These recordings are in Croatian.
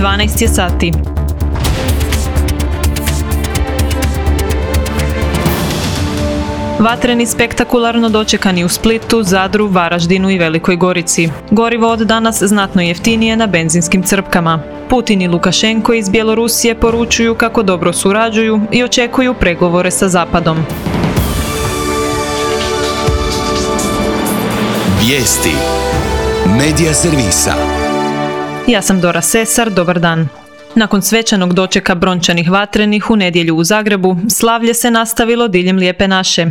12 je sati. Vatreni spektakularno dočekani u Splitu, Zadru, Varaždinu i Velikoj Gorici. Gorivo od danas znatno jeftinije na benzinskim crpkama. Putin i Lukašenko iz Bjelorusije poručuju kako dobro surađuju i očekuju pregovore sa Zapadom. Vijesti Medija servisa. Ja sam Dora Sesar, dobar dan. Nakon svečanog dočeka brončanih vatrenih u nedjelju u Zagrebu, slavlje se nastavilo diljem Lijepe naše.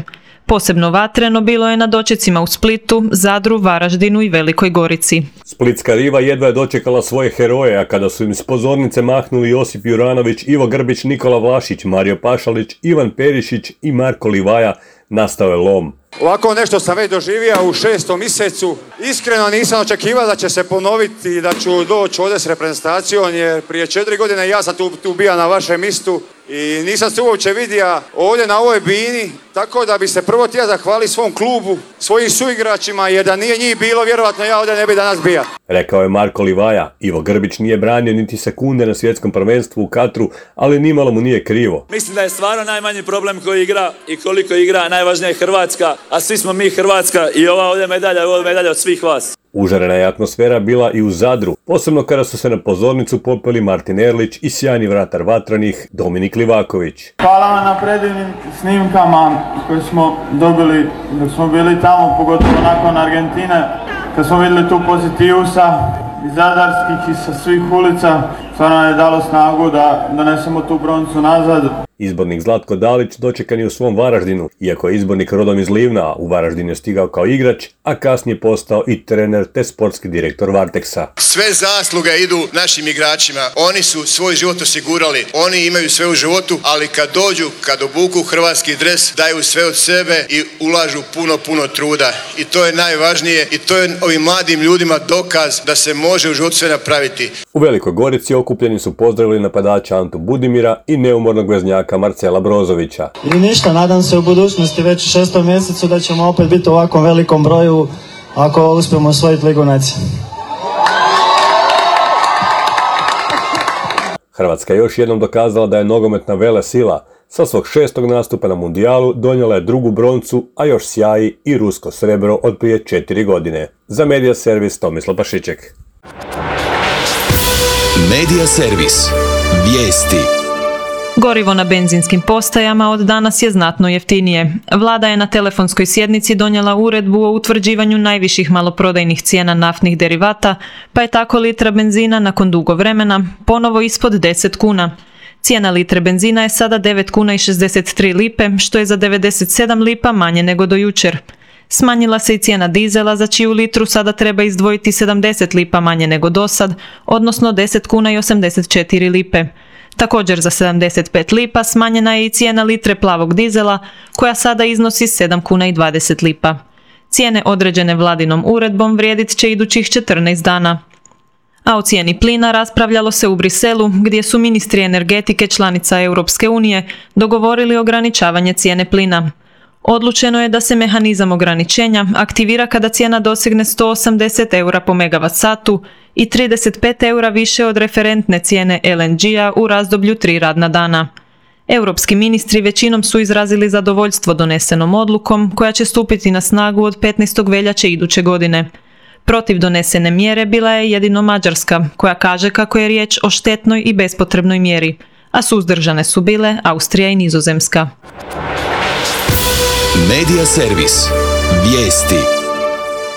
Posebno vatreno bilo je na dočecima u Splitu, Zadru, Varaždinu i Velikoj Gorici. Splitska riva jedva je dočekala svoje heroje, a kada su im s pozornice mahnuli Josip Juranović, Ivo Grbić, Nikola Vlašić, Mario Pašalić, Ivan Perišić i Marko Livaja, nastao je lom. Ovako nešto sam već doživio u 6. mjesecu. Iskreno nisam očekivao da će se ponoviti i da ću doći ovdje s reprezentacijom, jer prije 4 godine ja sam tu bio na vašem mjestu i nisam se uopće vidio ovdje na ovoj bini, tako da bi se prvo htio zahvaliti svom klubu, svojim suigračima, jer da nije njih bilo, vjerovatno ja ovdje ne bi danas bio. Rekao je Marko Livaja. Ivo Grbić nije branio niti sekunde na svjetskom prvenstvu u Katru, ali nimalo mu nije krivo. Mislim da je stvarno najmanji problem koji igra i koliko igra, najvažnija je Hrvatska, a svi smo mi Hrvatska i ova ovdje medalja od svih vas. Užarena je atmosfera bila i u Zadru, posebno kada su se na pozornicu popeli Martin Erlić i sjajni vratar vatrenih Dominik Livaković. Hvala vam na predivnim snimkama koje smo dobili dok smo bili tamo, pogotovo nakon Argentine, kad smo vidjeli tu pozitivu iz zadarskih i sa svih ulica. Stvarno je dalo snagu da donesemo tu broncu nazad. Izbornik Zlatko Dalić dočekan je u svom Varaždinu, iako je izbornik rodom iz Livna, u Varaždinu je stigao kao igrač, a kasnije postao i trener te sportski direktor Varteksa. Sve zasluge idu našim igračima, oni su svoj život osigurali, oni imaju sve u životu, ali kad obuku hrvatski dres, daju sve od sebe i ulažu puno truda. I to je najvažnije i to je ovim mladim ljudima dokaz da se može u životu sve napraviti. U Velikoj Gorici okupljeni su pozdravili napadača Antu Budimira i neumornog veznjaka Marcela Brozovića. I ništa, nadam se u budućnosti već u 6. mjesecu da ćemo opet biti u ovakvom velikom broju ako uspijemo osvojiti Ligu nacija. Hrvatska je još jednom dokazala da je nogometna velesila. Sa svog 6. nastupa na mundijalu donijela je 2. broncu, a još sjaji i rusko srebro od prije 4 godine. Za Medija servis Tomislav Pašiček. Medija servis. Vijesti. Gorivo na benzinskim postajama od danas je znatno jeftinije. Vlada je na telefonskoj sjednici donijela uredbu o utvrđivanju najviših maloprodajnih cijena naftnih derivata, pa je tako litra benzina nakon dugo vremena ponovo ispod 10 kuna. Cijena litre benzina je sada 9 kuna i 63 lipe, što je za 97 lipa manje nego do jučer. Smanjila se i cijena dizela, za čiju litru sada treba izdvojiti 70 lipa manje nego dosad, odnosno 10 kuna i 84 lipe. Također za 75 lipa smanjena je i cijena litre plavog dizela, koja sada iznosi 7 kuna i 20 lipa. Cijene određene vladinom uredbom vrijedit će idućih 14 dana. A o cijeni plina raspravljalo se u Briselu, gdje su ministri energetike članica Europske unije dogovorili ograničavanje cijene plina. Odlučeno je da se mehanizam ograničenja aktivira kada cijena dosegne 180 eura po megavat satu i 35 eura više od referentne cijene LNG-a u razdoblju 3 radna dana. Europski ministri većinom su izrazili zadovoljstvo donesenom odlukom koja će stupiti na snagu od 15. veljače iduće godine. Protiv donesene mjere bila je jedino Mađarska, koja kaže kako je riječ o štetnoj i bespotrebnoj mjeri, a suzdržane su bile Austrija i Nizozemska. Medija servis. Vijesti.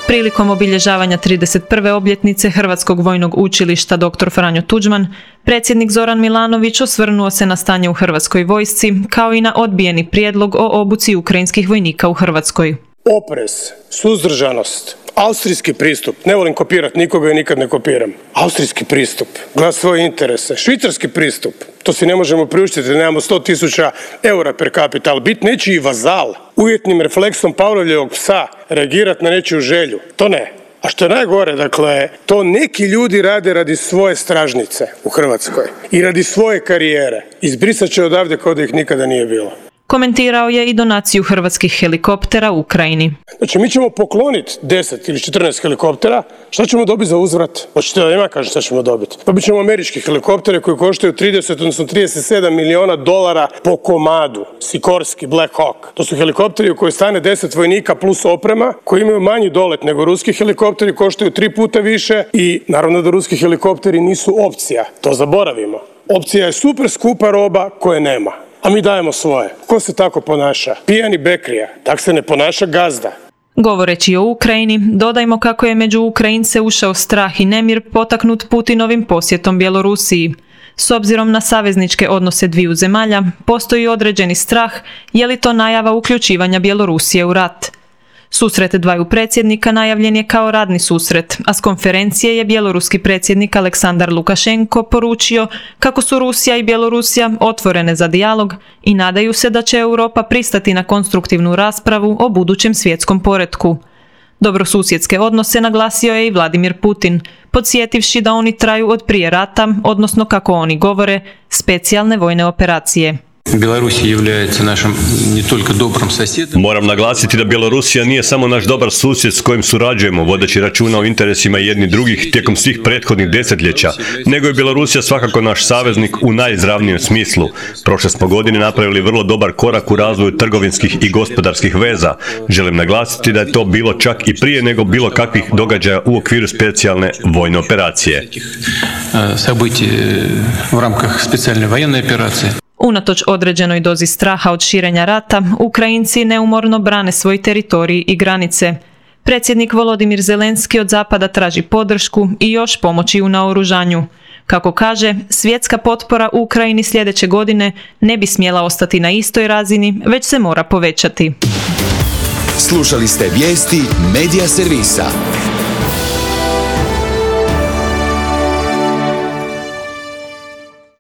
Prilikom obilježavanja 31. obljetnice Hrvatskog vojnog učilišta dr. Franjo Tuđman, predsjednik Zoran Milanović osvrnuo se na stanje u Hrvatskoj vojsci, kao i na odbijeni prijedlog o obuci ukrajinskih vojnika u Hrvatskoj. Oprez, suzdržanost, austrijski pristup, ne volim kopirati nikoga i nikad ne kopiram. Austrijski pristup, glas svoje interese, švicarski pristup, to si ne možemo priuštiti, nemamo 100.000 eura per capita, ali biti nečiji vazal, uvjetnim refleksom Pavlovljevog psa, reagirati na nečiju želju, to ne. A što je najgore, dakle, to neki ljudi rade radi svoje stražnice u Hrvatskoj i radi svoje karijere. Izbrisat će odavde kao da ih nikada nije bilo. Komentirao je i donaciju hrvatskih helikoptera Ukrajini. Znači, mi ćemo pokloniti 10 ili 14 helikoptera, šta ćemo dobiti za uzvrat? Hoćete da ima kaže šta ćemo dobiti? Dobit ćemo američki helikoptere koji koštaju 30, odnosno 37 miliona dolara po komadu. Sikorski, Black Hawk. To su helikopteri u kojoj stane 10 vojnika plus oprema, koji imaju manji dolet nego ruski helikopteri, koštaju 3 puta više i naravno da ruski helikopteri nisu opcija. To zaboravimo. Opcija je super skupa roba koje nema. A mi dajemo svoje. Ko se tako ponaša? Pijani bekrija. Tak se ne ponaša gazda. Govoreći o Ukrajini, dodajmo kako je među Ukrajince ušao strah i nemir potaknut Putinovim posjetom Bjelorusiji. S obzirom na savezničke odnose dviju zemalja, postoji određeni strah je li to najava uključivanja Bjelorusije u rat. Susret dvaju predsjednika najavljen je kao radni susret, a s konferencije je bjeloruski predsjednik Aleksandar Lukašenko poručio kako su Rusija i Bjelorusija otvorene za dijalog i nadaju se da će Europa pristati na konstruktivnu raspravu o budućem svjetskom poretku. Dobrosusjedske odnose naglasio je i Vladimir Putin, podsjetivši da oni traju od prije rata, odnosno kako oni govore, specijalne vojne operacije. Moram naglasiti da Bjelorusija nije samo naš dobar susjed s kojim surađujemo, vodeći računa o interesima jedni drugih tijekom svih prethodnih desetljeća, nego je Bjelorusija svakako naš saveznik u najizravnijem smislu. Prošle smo godine napravili vrlo dobar korak u razvoju trgovinskih i gospodarskih veza. Želim naglasiti da je to bilo čak i prije nego bilo kakvih događaja u okviru specijalne vojne operacije. Unatoč određenoj dozi straha od širenja rata, Ukrajinci neumorno brane svoj teritorij i granice. Predsjednik Volodimir Zelenski od Zapada traži podršku i još pomoći u naoružanju. Kako kaže, svjetska potpora Ukrajini sljedeće godine ne bi smjela ostati na istoj razini, već se mora povećati. Slušali ste vijesti Medija servisa.